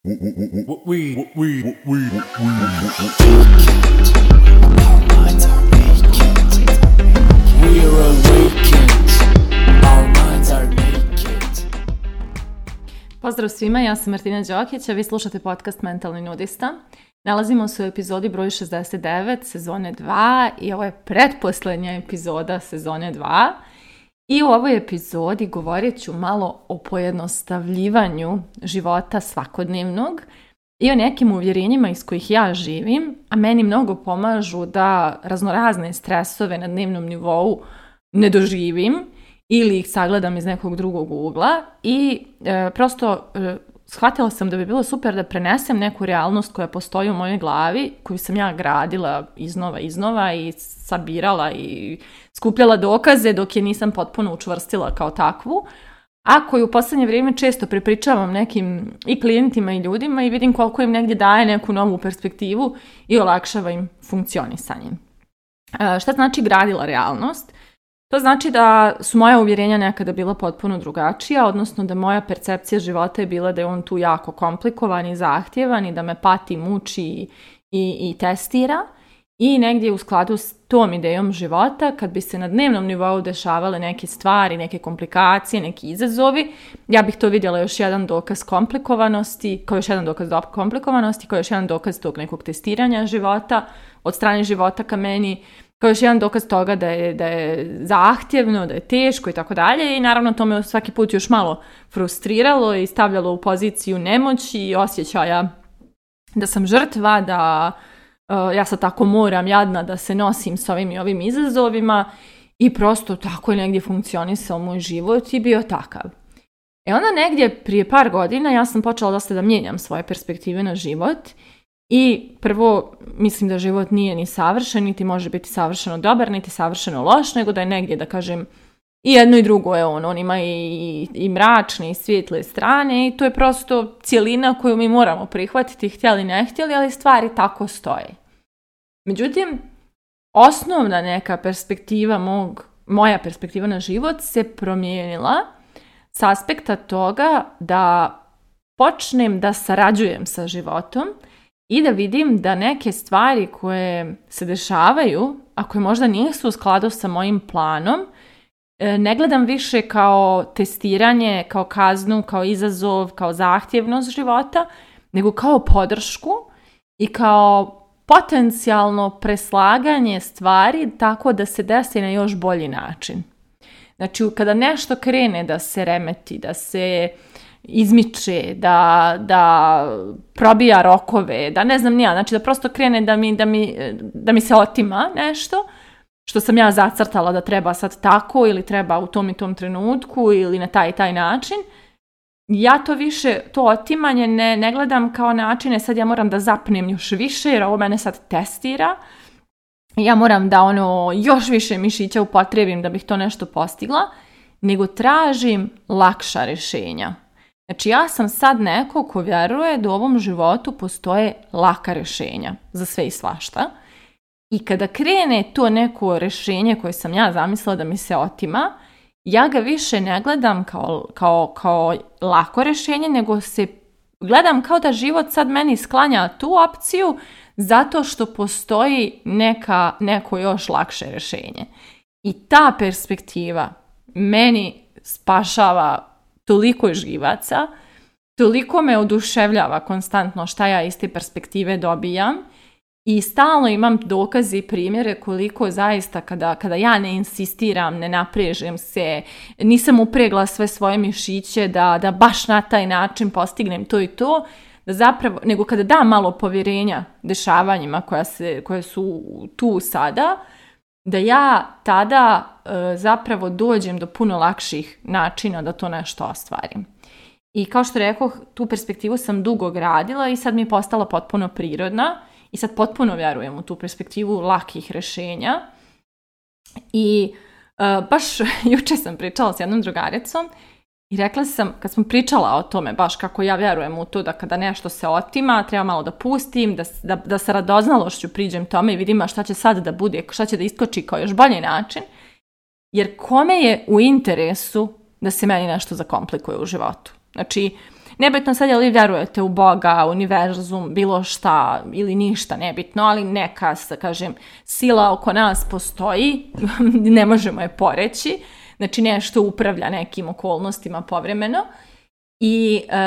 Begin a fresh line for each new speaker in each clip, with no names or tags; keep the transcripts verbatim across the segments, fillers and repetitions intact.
We, we, we, we, we.
Our minds are vacant. We are awakened. Our minds are naked.
Pozdrav svima, ja sam Martina Đokić, a vi slušate podcast Mentalni nudista. Nalazimo se u epizodi broj šezdeset devet sezone dva i ovo je pretposlednja epizoda sezone dva. I u ovoj epizodi govorit ću malo o pojednostavljivanju života svakodnevnog i o nekim uvjerenjima iz kojih ja živim, a meni mnogo pomažu da raznorazne stresove na dnevnom nivou ne doživim ili ih sagledam iz nekog drugog ugla i e, prosto e, shvatila sam da bi bilo super da prenesem neku realnost koja postoji u mojoj glavi, koju sam ja gradila iznova iznova i sabirala i skupljala dokaze dok je nisam potpuno učvrstila kao takvu, a koju u posljednje vrijeme često prepričavam nekim i klijentima i ljudima i vidim koliko im negdje daje neku novu perspektivu i olakšava im funkcionisanje. E, šta znači gradila realnost? To znači da su moja uvjerenja nekada bila potpuno drugačija, odnosno da moja percepcija života je bila da je on tu jako komplikovan i zahtjevan i da me pati, muči i, i testira. I negdje u skladu s tom idejom života, kad bi se na dnevnom nivou dešavale neke stvari, neke komplikacije, neki izazovi, ja bih to vidjela još jedan dokaz komplikovanosti, kao još jedan dokaz komplikovanosti, kao još jedan dokaz tog nekog testiranja života od strane života ka meni, kao još jedan dokaz toga da je, da je zahtjevno, da je teško i tako dalje. I naravno to me svaki put još malo frustriralo i stavljalo u poziciju nemoći i osjećaja da sam žrtva, da uh, ja sad tako moram jadna da se nosim s ovim i ovim izazovima i prosto tako je negdje funkcionisao moj život i bio takav. E onda negdje prije par godina ja sam počela dosta da mijenjam svoje perspektive na život. I prvo, mislim da život nije ni savršen, niti može biti savršeno dobar, niti savršeno loš, nego da je negdje, da kažem, i jedno i drugo je on. On ima i, i mračne i svijetle strane i to je prosto cjelina koju mi moramo prihvatiti, htjeli ne htjeli, ali stvari tako stoje. Međutim, osnovna neka perspektiva mog, moja perspektiva na život se promijenila s aspekta toga da počnem da sarađujem sa životom i da vidim da neke stvari koje se dešavaju, a koje možda nisu u skladu sa mojim planom, ne gledam više kao testiranje, kao kaznu, kao izazov, kao zahtjevnost života, nego kao podršku i kao potencijalno preslaganje stvari tako da se desi na još bolji način. Znači, kada nešto krene da se remeti, da se izmiče, da, da probija rokove, da ne znam nija, znači da prosto krene da mi, da, mi, da mi se otima nešto što sam ja zacrtala da treba sad tako ili treba u tom i tom trenutku ili na taj i taj način. Ja to više, to otimanje ne, ne gledam kao načine, sad ja moram da zapnem još više jer ovo mene sad testira. Ja moram da ono još više mišića upotrijebim da bih to nešto postigla, nego tražim lakša rješenja. Znači ja sam sad neko ko vjeruje da u ovom životu postoje laka rješenja za sve i svašta. I kada krene to neko rješenje koje sam ja zamislila da mi se otima, ja ga više ne gledam kao, kao, kao lako rješenje, nego se gledam kao da život sad meni sklanja tu opciju zato što postoji neka, neko još lakše rješenje. I ta perspektiva meni spašava toliko živaca, toliko me oduševljava konstantno šta ja iz te perspektive dobijam i stalno imam dokaze i primjere koliko zaista kada, kada ja ne insistiram, ne naprežem se, nisam upregla sve svoje mišiće da, da baš na taj način postignem to i to, da zapravo, nego kada dam malo povjerenja dešavanjima koja, se, koje su tu sada, da ja tada e, zapravo dođem do puno lakših načina da to nešto ostvarim. I kao što rekoh, tu perspektivu sam dugo gradila i sad mi je postala potpuno prirodna i sad potpuno vjerujem u tu perspektivu lakih rješenja. I e, baš jučer sam pričala s jednom drugaricom i rekla sam, kad smo pričala o tome, baš kako ja vjerujem u to da kada nešto se otima, treba malo da pustim, da, da, da sa radoznalošću priđem tome i vidim šta će sad da bude, šta će da iskoči kao još bolji način. Jer kome je u interesu da se meni nešto zakomplikuje u životu? Znači, nebitno sad je li vjerujete u Boga, univerzum, bilo šta ili ništa, nebitno, ali neka, kažem, sila oko nas postoji, ne možemo je poreći, znači nešto upravlja nekim okolnostima povremeno i e,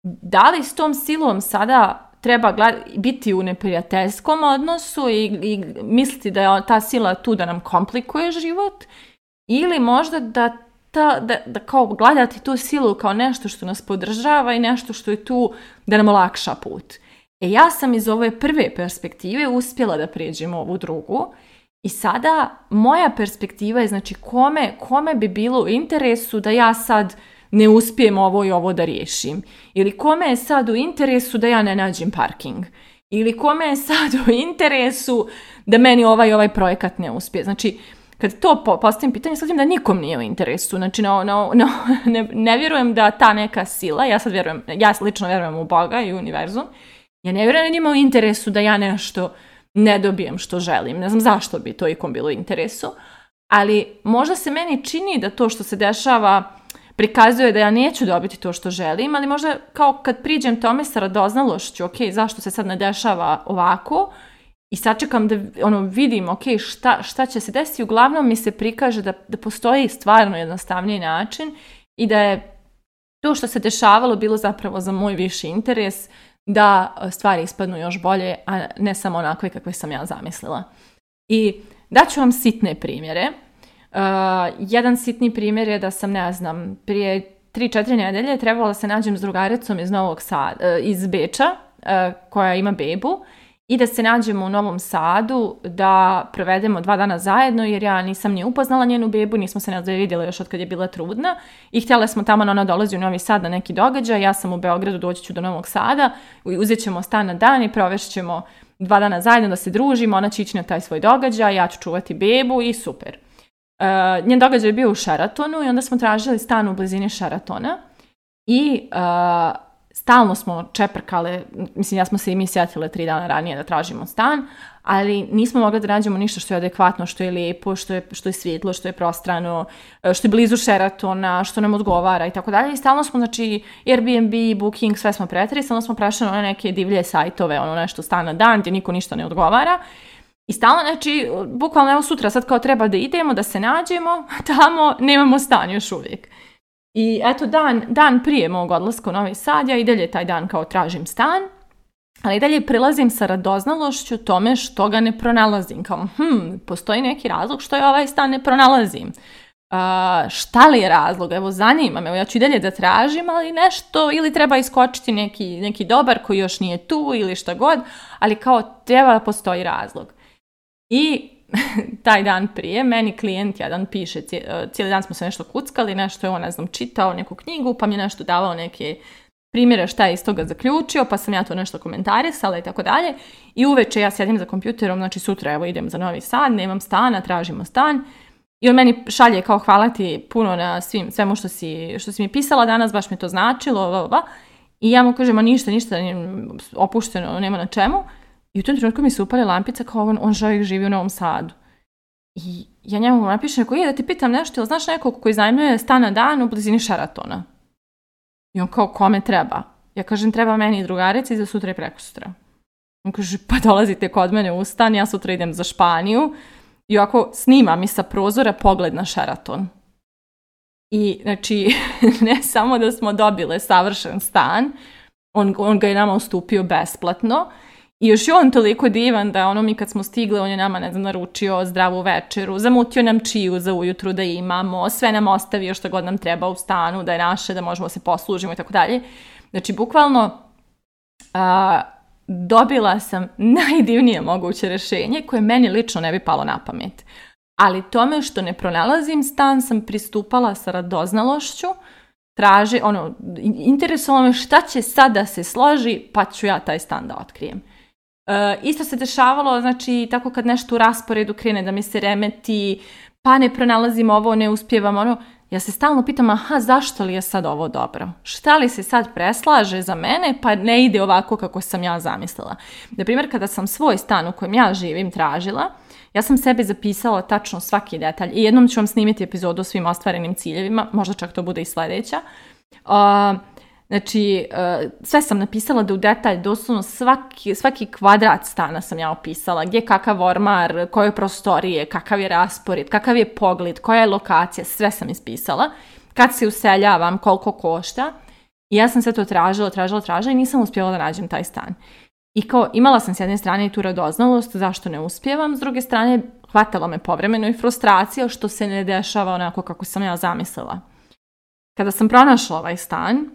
da li s tom silom sada treba gled- biti u neprijateljskom odnosu i, i misliti da je ta sila tu da nam komplikuje život ili možda da, ta, da, da kao gledati tu silu kao nešto što nas podržava i nešto što je tu da nam olakša put. E ja sam iz ove prve perspektive uspjela da prijeđem ovu drugu i sada moja perspektiva je znači kome, kome bi bilo u interesu da ja sad ne uspijem ovo i ovo da riješim. Ili kome je sad u interesu da ja ne nađem parking. Ili kome je sad u interesu da meni ovaj ovaj projekat ne uspije. Znači, kad to postavim pitanje, shvatim da nikom nije u interesu. Znači, no, no, no, ne, ne vjerujem da ta neka sila, ja sad vjerujem, ja lično vjerujem u Boga i univerzum, ja ne vjerujem da njima u interesu da ja nešto ne dobijem što želim. Ne znam zašto bi to ikom bilo u interesu, ali možda se meni čini da to što se dešava prikazuje da ja neću dobiti to što želim, ali možda kao kad priđem tome sa radoznalošću, ok, zašto se sad ne dešava ovako, i sačekam da ono, vidim, ok, šta, šta će se desiti, uglavnom mi se prikaže da, da postoji stvarno jednostavniji način i da je to što se dešavalo bilo zapravo za moj viši interes, da stvari ispadnu još bolje, a ne samo onakve kakve sam ja zamislila. I daću vam sitne primjere. Uh, jedan sitni primjer je da sam, ne znam, prije tri četiri nedelje trebala da se nađem s drugaricom iz Novog Sada, uh, iz Beča, uh, koja ima bebu, i da se nađemo u Novom Sadu, da provedemo dva dana zajedno, jer ja nisam ni upoznala njenu bebu, nismo se ne vidjeli još od kad je bila trudna i htjela smo tamo, ona dolazi u Novi Sad na neki događaj, ja sam u Beogradu, doći ću do Novog Sada, uzet ćemo stan na dan i provešćemo dva dana zajedno da se družimo, ona će ići na taj svoj događaj, ja ću čuvati bebu i super. Uh, njen događaj je bio u Sheratonu i onda smo tražili stan u blizini Sheratona i uh, stalno smo čeprkale, mislim ja smo se i mi sjetile tri dana ranije da tražimo stan, ali nismo mogli da nađemo ništa što je adekvatno, što je lijepo, što je, što je svjetlo, što je prostrano, što je blizu Sheratona, što nam odgovara i tako dalje. I stalno smo, znači, Airbnb, Booking, sve smo pretili, stalno smo prešli na one neke divlje sajtove, ono nešto stan na dan gdje niko ništa ne odgovara. I stalno, znači, bukvalno evo sutra sad kao treba da idemo, da se nađemo, tamo nemamo stan još uvijek. I eto, dan, dan prije mog odlaska u Novi Sad, ja i dalje taj dan kao tražim stan, ali i dalje prilazim sa radoznalošću tome što ga ne pronalazim. Kao, hm, postoji neki razlog što je ovaj stan ne pronalazim. Uh, šta li je razlog? Evo, zanima me, evo, ja ću i dalje da tražim, ali nešto, ili treba iskočiti neki, neki dobar koji još nije tu, ili šta god, ali kao treba da postoji razlog. I taj dan prije, meni klijent jedan piše, cijeli dan smo se nešto kuckali, nešto je on, ne znam, čitao neku knjigu, pa mi je nešto davao neke primjere šta je iz toga zaključio, pa sam ja to nešto komentarisala i tako dalje. I uveče ja sjedim za kompjuterom, znači sutra evo idem za Novi Sad, nemam stana, tražimo stan. I on meni šalje kao hvala ti puno na svim, svemu što si, što si mi pisala danas, baš mi to značilo, ova, ova. I ja mu kažem, a ništa, ništa, opušteno, nema na čemu. I u tom trenutku mi se upali lampica kao on, on čovjek živi u Novom Sadu. I ja njemu napišem, ako je da ti pitam nešto, ili znaš nekog koji iznajmljuje stan na dan u blizini Sheratona? I on kao, kome treba? Ja kažem, treba meni i drugarici za sutra i prekosutra. On kaže, pa dolazite kod mene u stan, ja sutra idem za Španiju i ovako snima mi sa prozora pogled na Sheraton. I znači, ne samo da smo dobile savršen stan, on, on ga je nama ustupio besplatno, i još je on toliko divan da ono mi kad smo stigle, on je nama, ne znam, naručio zdravu večeru, zamutio nam čiju za ujutru da imamo, sve nam ostavio što god nam treba u stanu, da je naše, da možemo se poslužimo i tako dalje. Znači, bukvalno a, dobila sam najdivnije moguće rješenje koje meni lično ne bi palo na pamet. Ali tome što ne pronalazim stan sam pristupala sa radoznalošću, traži, ono, interesovalo me šta će sad da se složi, pa ću ja taj stan da otkrijem. E, isto se dešavalo, znači, tako kad nešto u rasporedu krene da mi se remeti, pa ne pronalazim ovo, ne uspijevam ono, ja se stalno pitam, aha, zašto li je sad ovo dobro? Šta li se sad preslaže za mene, pa ne ide ovako kako sam ja zamislila? Na primjer, kada sam svoj stan u kojem ja živim tražila, ja sam sebi zapisala tačno svaki detalj i jednom ću vam snimiti epizodu o svim ostvarenim ciljevima, možda čak to bude i sljedeća. Uh, Znači, uh, sve sam napisala da u detalj, doslovno svaki, svaki kvadrat stana sam ja opisala, gdje je kakav ormar, koje prostorije, kakav je raspored, kakav je pogled, koja je lokacija, sve sam ispisala. Kad se useljavam, koliko košta. I ja sam sve to tražila, tražila, tražila i nisam uspjela da nađem taj stan. I kao, imala sam s jedne strane i tu radoznalost, zašto ne uspijevam, s druge strane, hvatala me povremeno i frustracija što se ne dešava onako kako sam ja zamislila. Kada sam pronašla ovaj stan,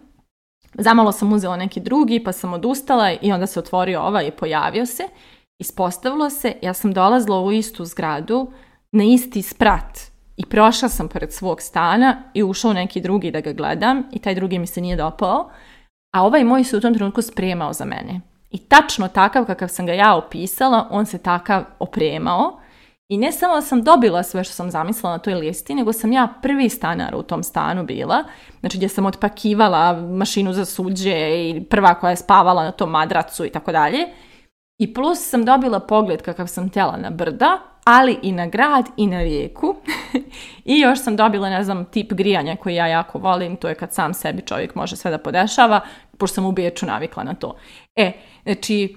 zamalo sam uzela neki drugi, pa sam odustala i onda se otvorio ovaj i pojavio se. Ispostavilo se, ja sam dolazila u istu zgradu, na isti sprat i prošla sam pored svog stana i ušao neki drugi da ga gledam i taj drugi mi se nije dopao, a ovaj moj se u tom trenutku spremao za mene. I tačno takav kakav sam ga ja opisala, on se takav opremao. I ne samo da sam dobila sve što sam zamislila na toj listi, nego sam ja prvi stanar u tom stanu bila. Znači gdje sam otpakivala mašinu za suđe i prva koja je spavala na tom madracu i tako dalje. I plus sam dobila pogled kakav sam htjela na brda, ali i na grad i na rijeku. I još sam dobila, ne znam, tip grijanja koji ja jako volim, to je kad sam sebi čovjek može sve da podešava, pošto sam u Beču navikla na to. E, znači,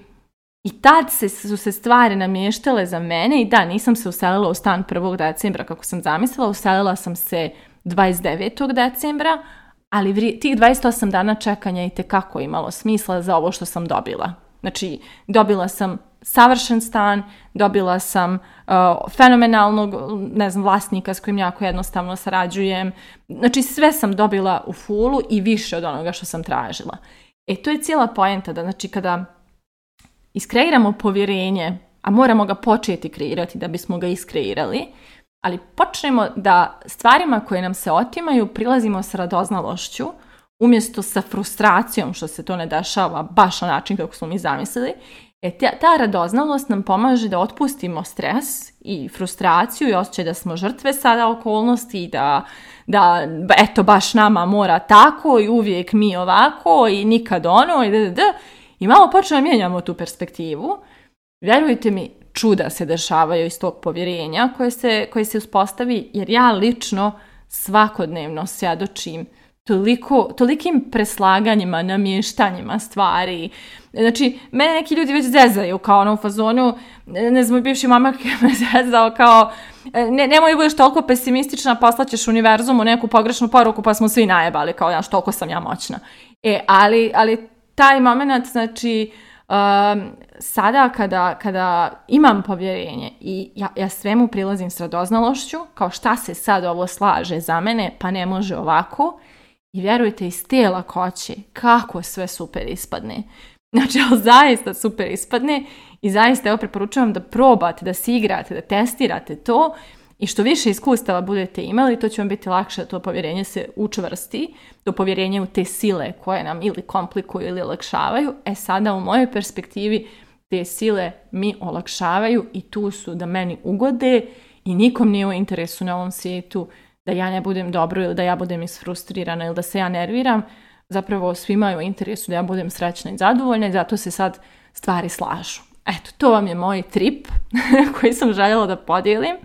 i tad se, su se stvari namještale za mene i da, nisam se uselila u stan prvog decembra kako sam zamislila, uselila sam se dvadeset devetog decembra, ali vri, tih dvadeset osam dana čekanja i tekako imalo smisla za ovo što sam dobila. Znači, dobila sam savršen stan, dobila sam uh, fenomenalnog, ne znam, vlasnika s kojim jako jednostavno sarađujem. Znači, sve sam dobila u fulu i više od onoga što sam tražila. E, to je cijela poenta da, znači, kada iskreiramo povjerenje, a moramo ga početi kreirati da bismo ga iskreirali, ali počnemo da stvarima koje nam se otimaju prilazimo s radoznalošću, umjesto sa frustracijom što se to ne dešava baš na način kako smo mi zamislili. E, ta, ta radoznalost nam pomaže da otpustimo stres i frustraciju i osjećaj da smo žrtve sada okolnosti i da, da eto baš nama mora tako i uvijek mi ovako i nikad ono i da, da, da. I malo počnemo mijenjamo tu perspektivu. Vjerujte mi, čuda se dešavaju iz tog povjerenja koje se, koje se uspostavi, jer ja lično svakodnevno svjedočim toliko, tolikim preslaganjima, namještanjima stvari. Znači, mene neki ljudi već zezaju kao ono u fazonu, ne znam, bivši mamak me zezao kao, ne, nemoj budeš toliko pesimistična, poslaćeš univerzumu neku pogrešnu poruku pa smo svi najebali, kao ja, toliko sam ja moćna. E, ali, ali taj moment, znači, um, sada kada, kada imam povjerenje i ja, ja svemu prilazim s radoznalošću, kao šta se sad ovo slaže za mene, pa ne može ovako, i vjerujte, iz te lakoće kako sve super ispadne. Znači, ali zaista super ispadne i zaista evo preporučujem da probate, da si igrate, da testirate to i što više iskustava budete imali, to će vam biti lakše da to povjerenje se učvrsti, to povjerenje u te sile koje nam ili komplikuju ili olakšavaju. E sada u mojoj perspektivi te sile mi olakšavaju i tu su da meni ugode i nikom nije u interesu na ovom svijetu da ja ne budem dobro ili da ja budem isfrustrirana ili da se ja nerviram. Zapravo svima je u interesu da ja budem srećna i zadovoljna i zato se sad stvari slažu. Eto, to vam je moj trip koji sam željela da podijelim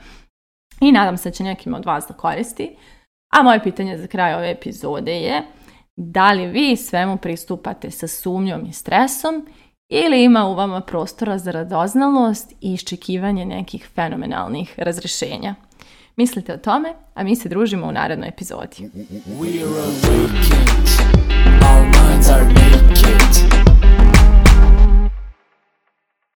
i nadam se da će nekim od vas da koristi. A moje pitanje za kraj ove epizode je da li vi svemu pristupate sa sumnjom i stresom ili ima u vama prostora za radoznalost i iščekivanje nekih fenomenalnih razrješenja. Mislite o tome, a mi se družimo u narednoj epizodi.
We are awakened, our minds are naked.